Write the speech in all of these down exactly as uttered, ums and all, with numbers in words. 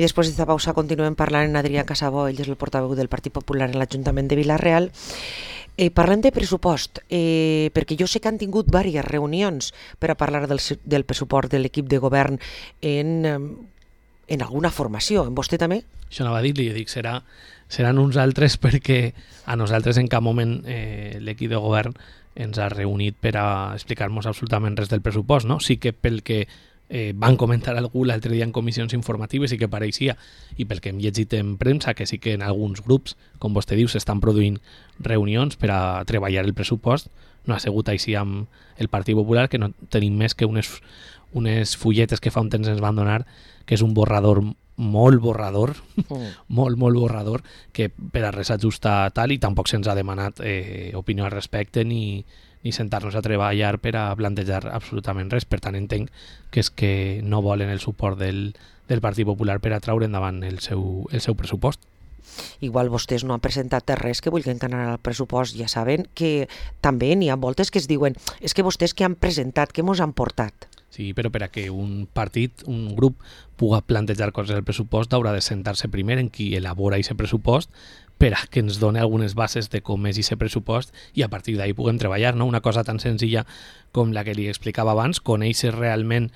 I després d'esta pausa continuem parlant amb Adrià Casabó, ell és el portaveu del Partit Popular en l'Ajuntament de Vila-real. Eh, parlem de pressupost, eh, perquè jo sé que han tingut diverses reunions per a parlar del, del pressupost de l'equip de govern en, en alguna formació. En vostè també? Això anava a dir-li, jo dic, serà, seran uns altres perquè a nosaltres en cap moment eh, l'equip de govern ens ha reunit per a explicar-nos absolutament res del pressupost, no? Sí que pel que eh, van comentar algú l'altre dia en comissions informatives i que pareixia, i pel que hem llegit en premsa, que sí que en alguns grups, com vostè diu, s'estan produint reunions per a treballar el pressupost, no ha sigut així amb el Partit Popular, que no tenim més que unes, unes fulletes que fa un temps ens van donar, que és un borrador molt borrador, mm. molt, molt borrador, que per a res ajusta tal, i tampoc se'ns ha demanat eh, opinió al respecte ni, ni sentar-nos a treballar per a plantejar absolutament res. Per tant, entenc que és que no volen el suport del, del Partit Popular per a traure endavant el seu, el seu pressupost. Igual vostès no han presentat res que vulguin anar al pressupost. Ja saben que també n'hi ha voltes que es diuen és que vostès que han presentat, que mos han portat. Sí, però per a que un partit, un grup, pugui plantejar coses del pressupost haurà de sentar-se primer en qui elabora aquest pressupost per a que ens doni algunes bases de com és aquest pressupost i a partir d'ahir puguem treballar, no? Una cosa tan senzilla com la que li explicava abans, conèixer realment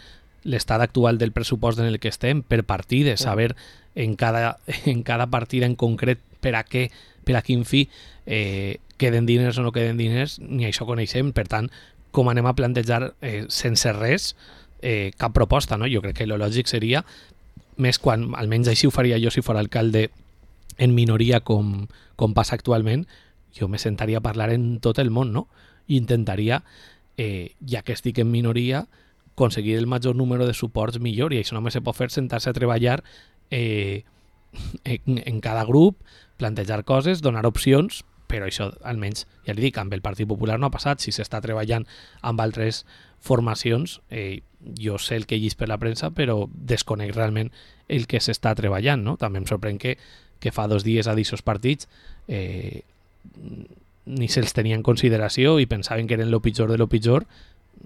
l'estat actual del pressupost en el que estem per partides, saber en cada, en cada partida en concret per a què, per a quin fi eh, queden diners o no queden diners, ni això coneixem. Per tant, com anem a plantejar eh, sense res eh, cap proposta, no? Jo crec que el lògic seria, més quan, almenys així ho faria jo si fos alcalde en minoria com, com passa actualment, jo me sentaria a parlar en tot el món, no? I intentaria, eh, ja que estic en minoria, aconseguir el major número de suports millor, i això només se pot fer sentar-se a treballar eh, en, en cada grup, plantejar coses, donar opcions, però això almenys, ja li dic, amb el Partit Popular no ha passat. Si s'està treballant amb altres formacions, eh, jo sé el que he llegit per la premsa, però desconec realment el que s'està treballant, no? També em sorprèn que, que fa dos dies a d'aquests partits eh, ni se'ls tenia en consideració i pensaven que eren el pitjor de lo pitjor,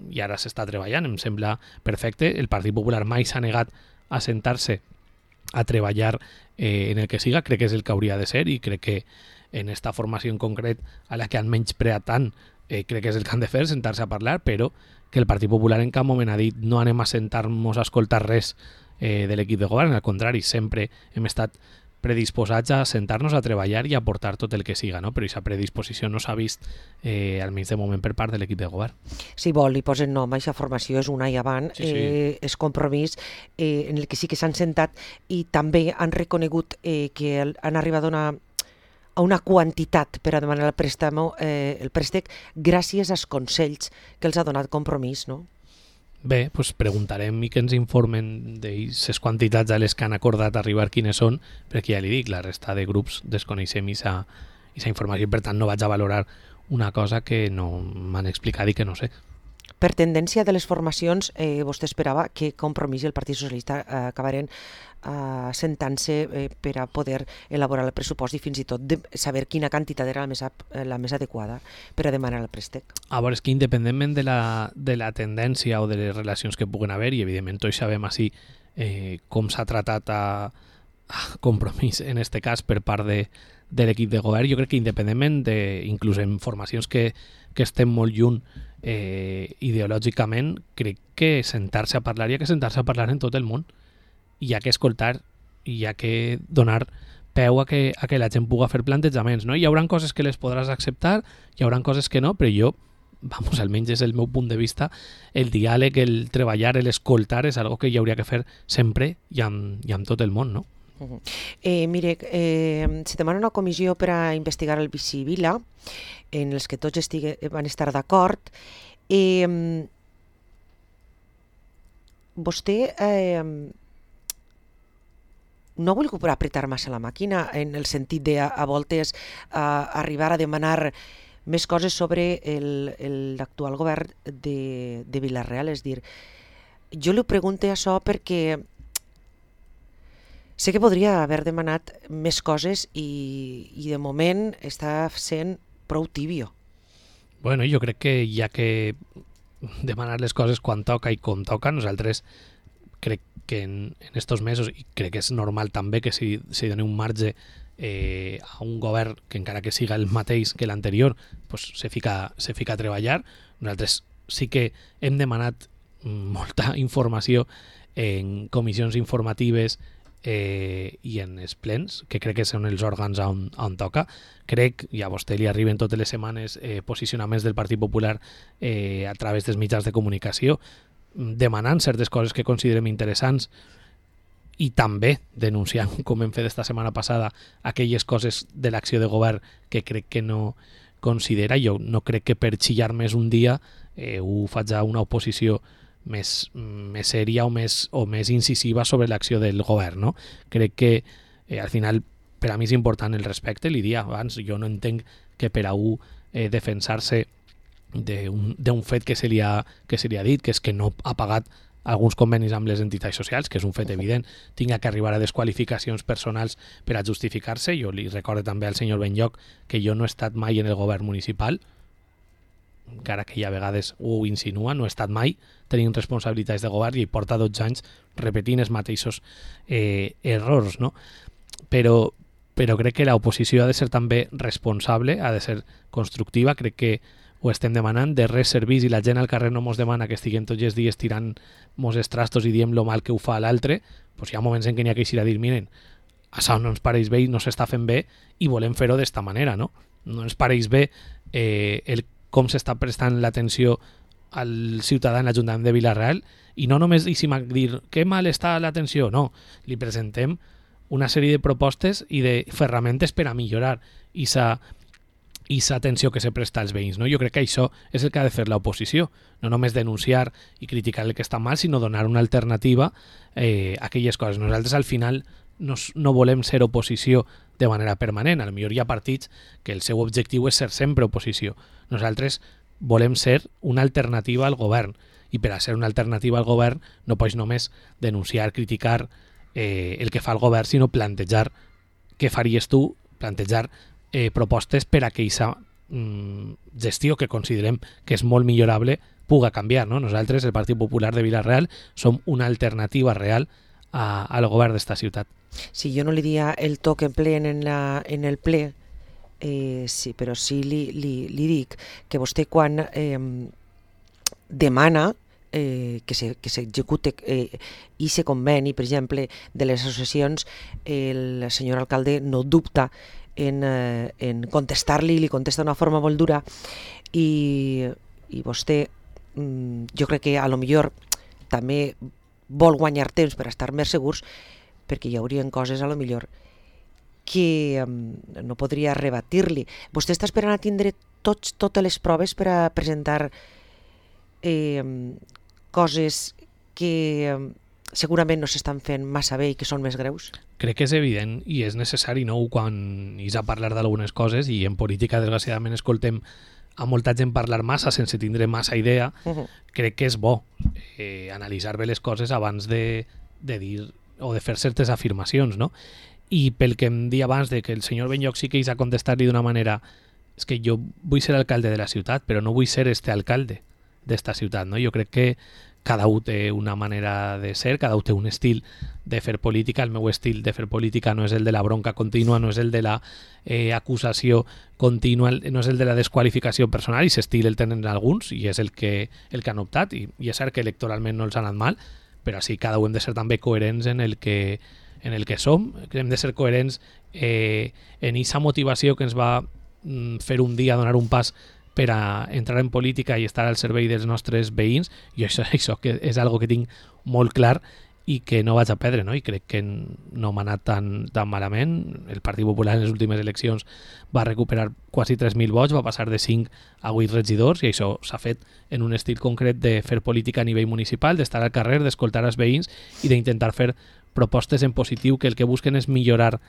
i ara s'està treballant. Em sembla perfecte. El Partit Popular mai s'ha negat a sentar-se a treballar eh, en el que siga. Crec que és el que hauria de ser, i crec que en esta formació en concret a la que han menyspreat tant, eh, crec que és el que han de fer, sentar-se a parlar, però que el Partit Popular en cap moment ha dit no anem a sentar-nos a escoltar res eh, de l'equip de govern. Al contrari, sempre hem estat predisposats a sentar-nos a treballar i a aportar tot el que siga, no? Però aquesta predisposició no s'ha vist eh, almenys de moment per part de l'equip de govern. Si vol, li posen nom a aquesta formació, és un any avant, sí, sí. Eh, és compromís eh, en el que sí que s'han sentat i també han reconegut eh, que han arribat a una a una quantitat per a demanar el préstec, eh, el préstec gràcies als consells que els ha donat Compromís, no? Bé, doncs preguntarem i que ens informen d'aquestes quantitats a les que han acordat arribar quines són, perquè ja li dic, la resta de grups desconeixem aquesta informació, per tant no vaig a valorar una cosa que no m'han explicat i que no sé. Per tendència de les formacions, eh, vostè esperava que Compromís i el Partit Socialista eh, acabaren eh, sentant-se eh, per a poder elaborar el pressupost i fins i tot de saber quina quantitat era la més, la més adequada per a demanar el préstec. A veure, és que independentment de la, de la tendència o de les relacions que puguen haver, i evidentment tots sabem així eh, com s'ha tratat a, a Compromís en este cas per part de, de l'equip de govern, jo crec que independentment de, inclús en formacions que, que estem molt lluny eh, ideològicament, crec que sentar-se a parlar, hi ha que sentar-se a parlar en tot el món, i hi ha que escoltar i hi ha que donar peu a que, a que la gent pugui fer plantejaments, no? Hi haurà coses que les podràs acceptar, hi haurà coses que no, però jo, vamos, almenys és el meu punt de vista, el diàleg, el treballar, l'escoltar és algo que hi hauria que fer sempre i amb, i amb tot el món, no? Uh-huh. Eh, mire, eh, se demana una comissió per a investigar el Vici Vila, en els que tots estigue, van estar d'acord. Eh, vostè eh, no ha volgut apretar massa la màquina en el sentit de a, a voltes a arribar a demanar més coses sobre l'actual govern de, de Vila-real. És dir, jo li pregunto això perquè sé que podria haver demanat més coses i, i de moment està sent prou tibio. Bueno, jo crec que hi ha que demanar les coses quan toca i com toca. Nosaltres crec que en, en estos mesos, i crec que és normal també que si, si doni un marge eh, a un govern que encara que siga el mateix que l'anterior, pues, se, fica, se fica a treballar. Nosaltres sí que hem demanat molta informació en comissions informatives eh, i en els plens, que crec que són els òrgans on, on toca. Crec, i a vostè li arriben totes les setmanes eh, posicionaments del Partit Popular eh, a través dels mitjans de comunicació, demanant certes coses que considerem interessants i també denunciant, com hem fet esta setmana passada, aquelles coses de l'acció de govern que crec que no considera. Jo no crec que per xillar més un dia eh, ho faig a una oposició més, més sèria o més, o més incisiva sobre l'acció del govern, no? Crec que eh, al final per a mi és important el respecte, li dia abans, jo no entenc que per a un eh, defensar-se d'un fet que se, li ha, que se li ha dit, que és que no ha pagat alguns convenis amb les entitats socials, que és un fet evident, tinga que arribar a desqualificacions personals per a justificar-se. Jo li recordo també al senyor Benlloc que jo no he estat mai en el govern municipal, encara que hi ha vegades ho insinua, no he estat mai tenint responsabilitats de govern i porta dotze anys repetint els mateixos eh, errors, no? Però, però crec que l'oposició ha de ser també responsable, ha de ser constructiva. Crec que ho estem demanant, de res servís i la gent al carrer no mos demana que estiguem tots els dies tirant mos estrastos i diem lo mal que ho fa l'altre. Pues hi ha moments en què n'hi ha que eixir a dir, miren, això no ens pareix bé i no s'està fent bé i volem fer-ho d'esta manera, no? No ens pareix bé eh, el com s'està prestant l'atenció al ciutadà en l'Ajuntament de Vila-real i no només deixem dir que mal està l'atenció, no, li presentem una sèrie de propostes i de ferramentes per a millorar aquesta atenció que se presta als veïns, no? Jo crec que això és el que ha de fer l'oposició, no només denunciar i criticar el que està mal, sinó donar una alternativa eh, a aquelles coses. Nosaltres al final no, no volem ser oposició de manera permanent. A lo millor hi ha partits que el seu objectiu és ser sempre oposició. Nosaltres volem ser una alternativa al govern i per a ser una alternativa al govern no pots només denunciar, criticar eh, el que fa el govern, sinó plantejar què faries tu, plantejar eh, propostes per a que aquesta mm, gestió que considerem que és molt millorable puga canviar, no? Nosaltres, el Partit Popular de Vila-real, som una alternativa real a, al govern d'esta ciutat. Sí, jo no li dia el to que empleen en, la, en el ple, eh, sí, però sí li, li, li dic que vostè quan eh, demana eh, que s'execute eh, i se conveni, per exemple, de les associacions, el senyor alcalde no dubta en, eh, en contestar-li, li contesta d'una forma molt dura i, i vostè, mm, jo crec que a lo millor també vol guanyar temps per estar més segurs, perquè hi haurien coses a lo millor que um, no podria rebatir-li. Vostè està esperant a tindre tots, totes les proves per a presentar eh, coses que eh, segurament no s'estan fent massa bé i que són més greus? Crec que és evident i és necessari, no?, quan is a parlar d'algunes coses, i en política desgraciadament escoltem a molta gent parlar massa sense tindre massa idea. Uh-huh. Crec que és bo eh, analitzar bé les coses abans de, de dir o de fer certes afirmacions, no? I pel que em dia abans de que el senyor Benlloc sí que és a contestar-li d'una manera, és que jo vull ser alcalde de la ciutat, però no vull ser este alcalde d'esta ciutat, no? Jo crec que cada un té una manera de ser, cada un té un estil de fer política. El meu estil de fer política no és el de la bronca contínua, no és el de la eh, acusació contínua, no és el de la desqualificació personal, i aquest estil el tenen alguns i és el que, el que han optat, i, i és cert que electoralment no els ha anat mal, però així cada un hem de ser també coherents en el que, en el que som, hem de ser coherents eh, en aquesta motivació que ens va mm, fer un dia donar un pas per a entrar en política i estar al servei dels nostres veïns, i això, això que és algo que tinc molt clar i que no vaig a perdre, no? I crec que no m'ha anat tan, tan malament. El Partit Popular en les últimes eleccions va recuperar quasi tres mil vots, va passar de cinc a vuit regidors, i això s'ha fet en un estil concret de fer política a nivell municipal, d'estar al carrer, d'escoltar els veïns i d'intentar fer propostes en positiu que el que busquen és millorar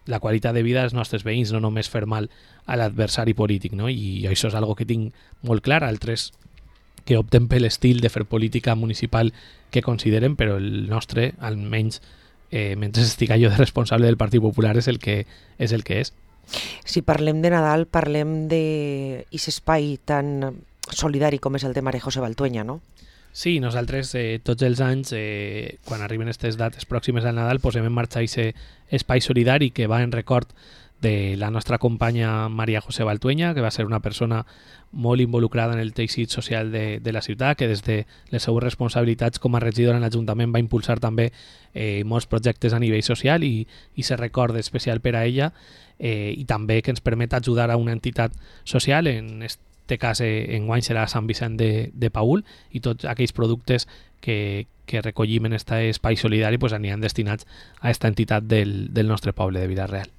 la qualitat de vida dels nostres veïns, no només fer mal a l'adversari polític, no? I això és algo que tinc molt clar. Altres que opten per l'estil de fer política municipal que consideren, però el nostre, almenys eh, mentre estic jo de responsable del Partit Popular, és el que és. El que és. Si parlem de Nadal, parlem d'aquest espai tan solidari com és el de María José Valtueña, no? Sí, nosaltres eh, tots els anys, eh, quan arriben aquestes dates pròximes al Nadal, posem en marxa aquest espai solidari que va en record de la nostra companya Maria José Baltueña, que va ser una persona molt involucrada en el teixit social de, de la ciutat, que des de les seues responsabilitats com a regidora en l'Ajuntament va impulsar també eh, molts projectes a nivell social i, i se recorda especial per a ella, eh, i també que ens permet ajudar a una entitat social, en este cas eh, enguany serà Sant Vicent de, de Paül, i tots aquells productes que, que recollim en aquest espai solidari pues, aniran destinats a aquesta entitat del, del nostre poble de Vila-real.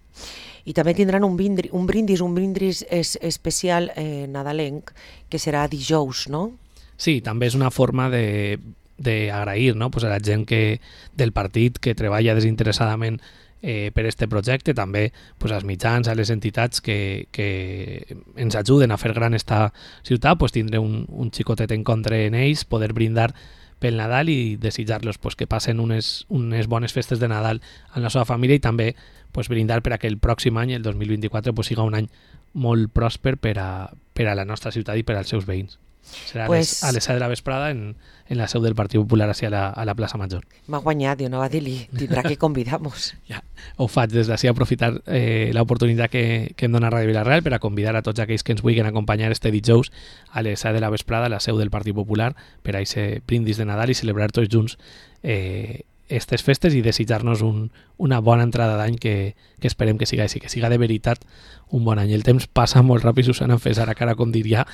I també tindran un, brindis, un brindis, un brindis es, especial eh, nadalenc, que serà dijous, no? Sí, també és una forma de d'agrair, no? Pues a la gent que, del partit que treballa desinteressadament eh, per este projecte, també pues, als mitjans, a les entitats que, que ens ajuden a fer gran esta ciutat, pues, tindre un, un xicotet en contra en ells, poder brindar pel Nadal i desitjar-los pues, que passen unes, unes bones festes de Nadal amb la seva família i també pues, brindar per a que el pròxim any, el dos mil vint-i-quatre, pues, siga un any molt pròsper per a, per a la nostra ciutat i per als seus veïns. Serà pues, a les set de la vesprada en, en la seu del Partit Popular a la, a la plaça Major. M'ha guanyat, jo no va dir-li, tindrà que convidar-nos. Ja, ho faig des d'ací, aprofitar eh, l'oportunitat que, que em dona Ràdio Vila-real per a convidar a tots aquells que ens vulguin acompanyar este dijous a les set de la vesprada a la seu del Partit Popular per a aquest brindis de Nadal i celebrar tots junts eh, aquestes festes i desitjar-nos un, una bona entrada d'any que, que esperem que siga així, que siga de veritat un bon any. El temps passa molt ràpid, Susana, fes ara cara com diria.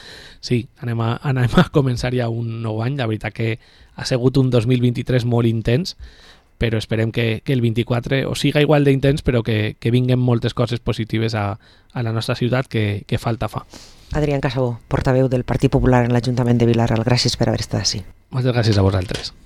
Sí, anem a, anem a començar ja un nou any. La veritat que ha sigut un dos mil vint-i-tres molt intens, però esperem que, que el vint-i-quatre o siga igual d'intens, però que, que vinguen moltes coses positives a, a la nostra ciutat que, que falta fa. Adrián Casabó, portaveu del Partit Popular en l'Ajuntament de Vila-real, gràcies per haver estat així. Moltes gràcies a vosaltres.